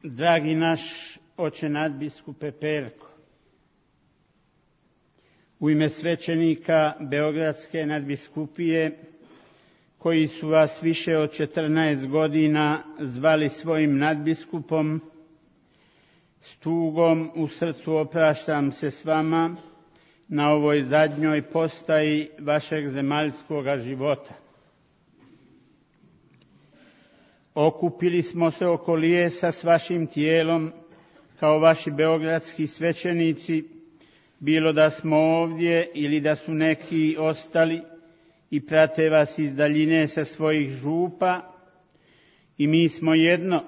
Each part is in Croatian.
Dragi naš oče nadbiskupe Perko, u ime svećenika Beogradske nadbiskupije, koji su vas više od 14 godina zvali svojim nadbiskupom, s tugom u srcu opraštam se s vama na ovoj zadnjoj postaji vašeg zemaljskoga života. Okupili smo se oko lijesa s vašim tijelom, kao vaši beogradski svećenici, bilo da smo ovdje ili da su neki ostali i prate vas iz daljine sa svojih župa, i mi smo jedno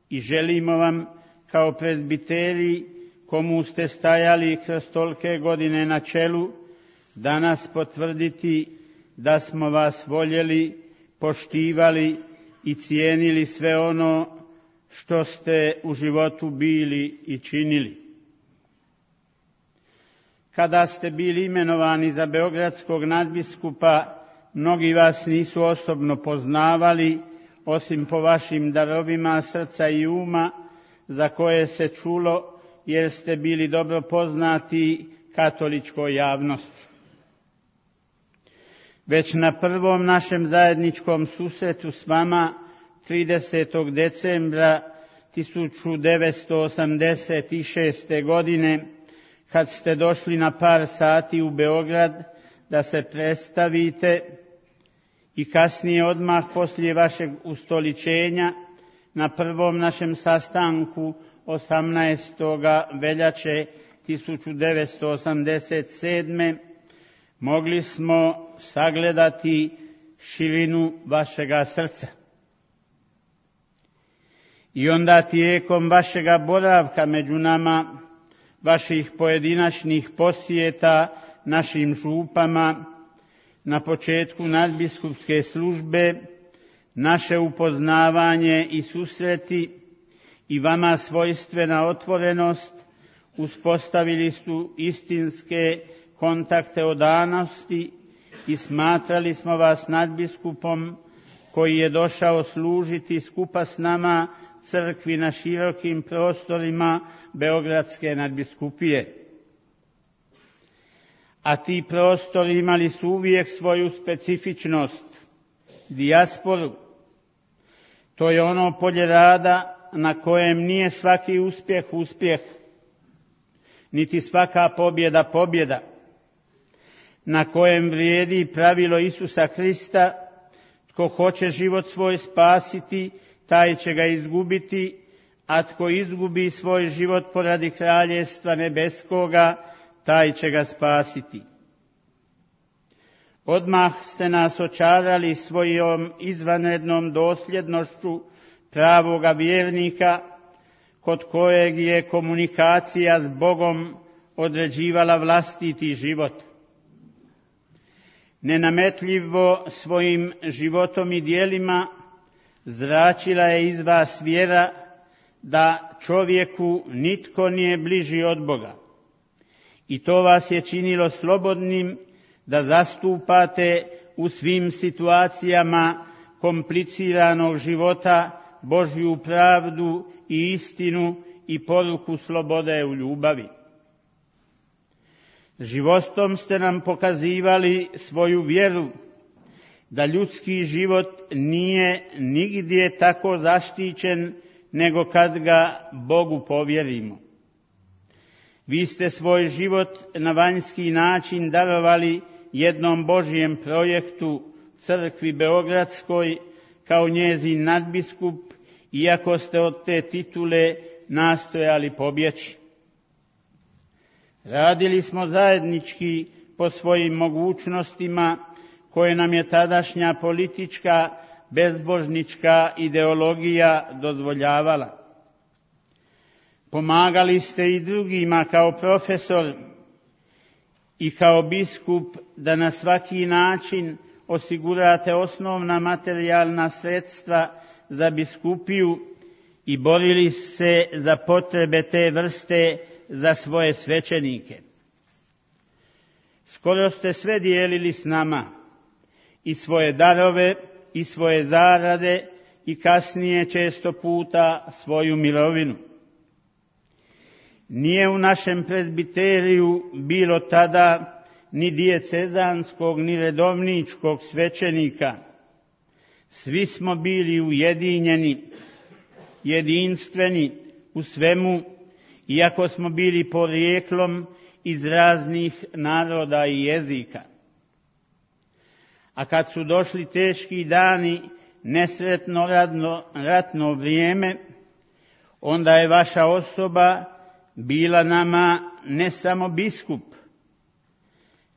i želimo vam kao prezbiteri, komu ste stajali kroz tolike godine na čelu, danas potvrditi da smo vas voljeli, poštivali i cijenili sve ono što ste u životu bili i činili. Kada ste bili imenovani za beogradskog nadbiskupa, mnogi vas nisu osobno poznavali, osim po vašim darovima srca i uma, za koje se čulo jer ste bili dobro poznati katoličkoj javnosti. Već na prvom našem zajedničkom susretu s vama 30. decembra 1986. godine, kad ste došli na par sati u Beograd da se predstavite, i kasnije odmah poslije vašeg ustoličenja na prvom našem sastanku 18. veljače 1987. mogli smo sagledati širinu vašega srca. I onda tijekom vašega boravka među nama, vaših pojedinačnih posjeta našim župama, na početku nadbiskupske službe, naše upoznavanje i susreti i vama svojstvena otvorenost uspostavili su istinske kontakte odanosti i smatrali smo vas nadbiskupom koji je došao služiti skupa s nama crkvi na širokim prostorima Beogradske nadbiskupije. A ti prostori imali su uvijek svoju specifičnost, dijasporu. To je ono polje rada na kojem nije svaki uspjeh, niti svaka pobjeda, na kojem vrijedi pravilo Isusa Krista: tko hoće život svoj spasiti, taj će ga izgubiti, a tko izgubi svoj život poradi kraljevstva nebeskoga, taj će ga spasiti. Odmah ste nas očarali svojom izvanrednom dosljednošću pravoga vjernika, kod kojeg je komunikacija s Bogom određivala vlastiti život. Nenametljivo svojim životom i djelima zračila je iz vas vjera da čovjeku nitko nije bliži od Boga. I to vas je činilo slobodnim da zastupate u svim situacijama kompliciranog života Božju pravdu i istinu i poruku slobode u ljubavi. Životom ste nam pokazivali svoju vjeru da ljudski život nije nigdje tako zaštićen nego kad ga Bogu povjerimo. Vi ste svoj život na vanjski način darovali jednom Božjem projektu, crkvi Beogradskoj, kao njezin nadbiskup, iako ste od te titule nastojali pobjeći. Radili smo zajednički po svojim mogućnostima koje nam je tadašnja politička, bezbožnička ideologija dozvoljavala. Pomagali ste i drugima kao profesor i kao biskup da na svaki način osigurate osnovna materijalna sredstva za biskupiju i borili se za potrebe te vrste za svoje svećenike. Skoro ste sve dijelili s nama, i svoje darove, i svoje zarade, i kasnije često puta svoju mirovinu. Nije u našem prezbiteriju bilo tada ni dijecezanskog ni redovničkog svećenika. Svi smo bili ujedinjeni, jedinstveni u svemu, iako smo bili porijeklom iz raznih naroda i jezika. A kad su došli teški dani, nesretno ratno vrijeme, onda je vaša osoba bila nama ne samo biskup,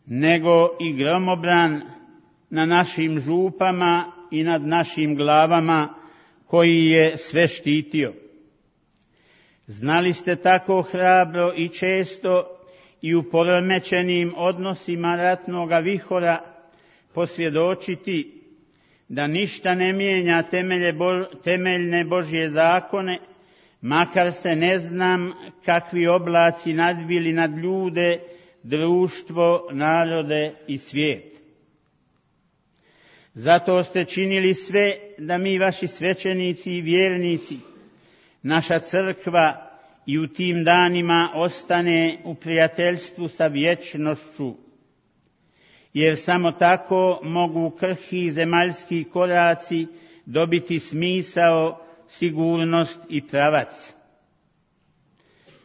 nego i gromobran na našim župama i nad našim glavama, koji je sve štitio. Znali ste tako hrabro i često i u poremećenim odnosima ratnoga vihora posvjedočiti da ništa ne mijenja temeljne Božje zakone, makar se ne znam kakvi oblaci nadvili nad ljude, društvo, narode i svijet. Zato ste činili sve da mi, vaši svećenici i vjernici, naša crkva i u tim danima ostane u prijateljstvu sa vječnošću, jer samo tako mogu krhki zemaljski koraci dobiti smisao, sigurnost i pravac.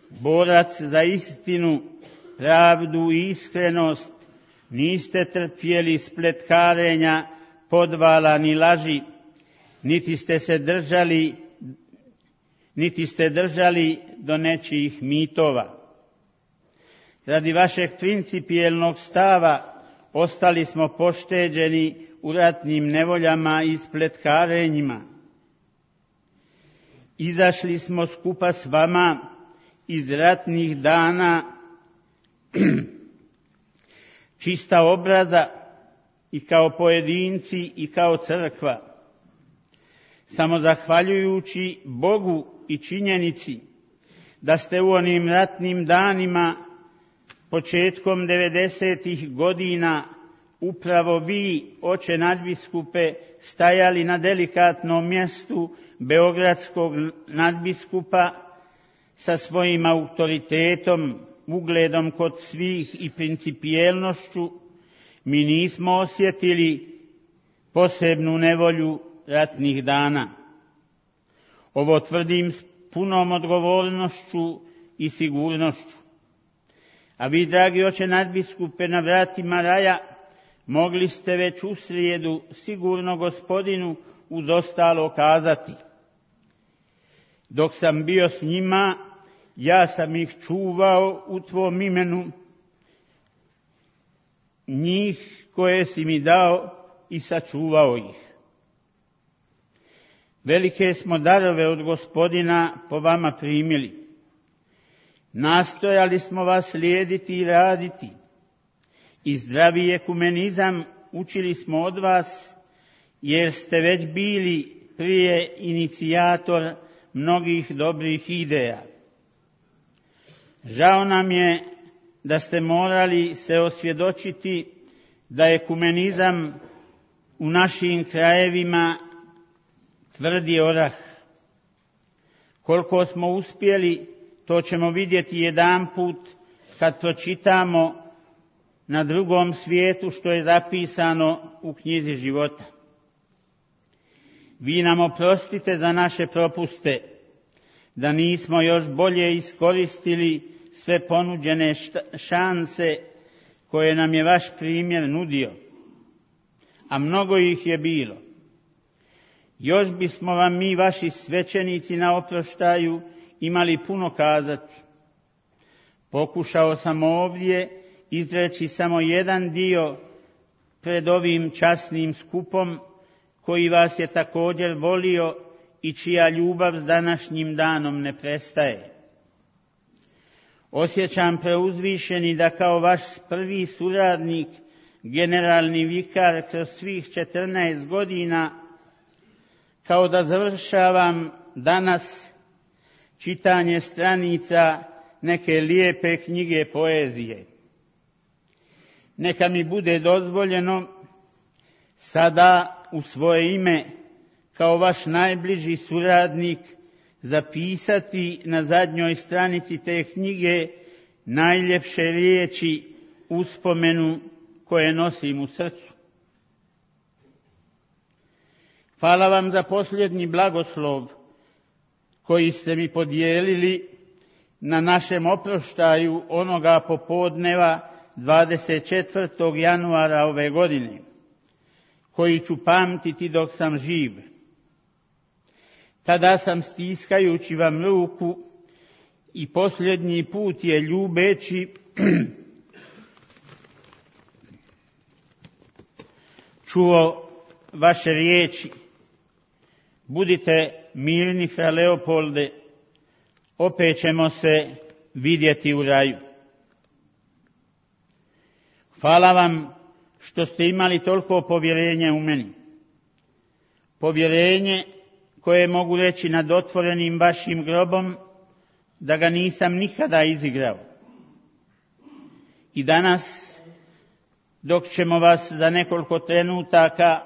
Borac za istinu, pravdu i iskrenost, niste trpjeli spletkarenja, podvala ni laži, niti ste držali do nečijih mitova. Radi vašeg principijelnog stava ostali smo pošteđeni u ratnim nevoljama i spletkarenjima. Izašli smo skupa s vama iz ratnih dana čista obraza i kao pojedinci i kao crkva. Samo zahvaljujući Bogu i činjenici da ste u onim ratnim danima početkom 90. godina upravo vi, oče nadbiskupe, stajali na delikatnom mjestu beogradskog nadbiskupa sa svojim autoritetom, ugledom kod svih i principijelnošću, mi nismo osjetili posebnu nevolju ratnih dana. Ovo tvrdim s punom odgovornošću i sigurnošću. A vi, dragi oče nadbiskupe, na vratima raja mogli ste već u srijedu sigurno Gospodinu uz ostalo kazati: dok sam bio s njima, ja sam ih čuvao u tvom imenu, njih koje si mi dao, i sačuvao ih. Velike smo darove od Gospodina po vama primili. Nastojali smo vas slijediti i raditi, i zdravi ekumenizam učili smo od vas, jer ste već bili prije inicijator mnogih dobrih ideja. Žao nam je da ste morali se osvjedočiti da ekumenizam u našim krajevima tvrdi orah. Koliko smo uspjeli, to ćemo vidjeti jedanput kad pročitamo na drugom svijetu što je zapisano u knjizi života. Vi nam oprostite za naše propuste, da nismo još bolje iskoristili sve ponuđene šanse koje nam je vaš primjer nudio, a mnogo ih je bilo. Još bismo vam mi, vaši svećenici, na oproštaju imali puno kazati. Pokušao sam ovdje izreći samo jedan dio pred ovim časnim skupom, koji vas je također volio i čija ljubav s današnjim danom ne prestaje. Osjećam preuzvišeni da kao vaš prvi suradnik, generalni vikar kroz svih 14 godina, kao da završavam danas čitanje stranica neke lijepe knjige poezije. Neka mi bude dozvoljeno sada u svoje ime kao vaš najbliži suradnik zapisati na zadnjoj stranici te knjige najljepše riječi uspomenu koje nosim u srcu. Hvala vam za posljednji blagoslov koji ste mi podijelili na našem oproštaju onoga popodneva 24. januara ove godine, koji ću pamtiti dok sam živ. Tada sam, stiskajući vam ruku i posljednji put je ljubeći čuo vaše riječi: budite mirni, fra Leopolde, opet ćemo se vidjeti u raju. Hvala vam što ste imali toliko povjerenja u meni. Povjerenje koje mogu reći nad otvorenim vašim grobom da ga nisam nikada izigrao. I danas, dok ćemo vas za nekoliko trenutaka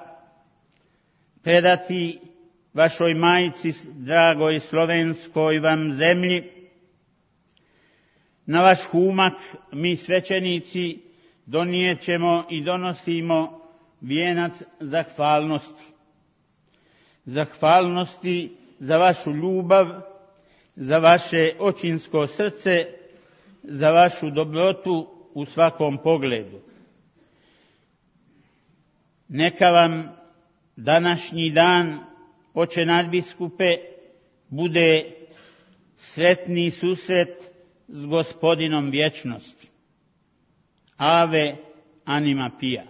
predati vašoj majici, dragoj slovenskoj vam zemlji, na vaš humak mi svećenici donijećemo i donosimo vijenac zahvalnosti. Zahvalnosti za vašu ljubav, za vaše očinsko srce, za vašu dobrotu u svakom pogledu. Neka vam današnji dan, oče nadbiskupe, bude sretni susret s Gospodinom vječnosti. Ave anima pia.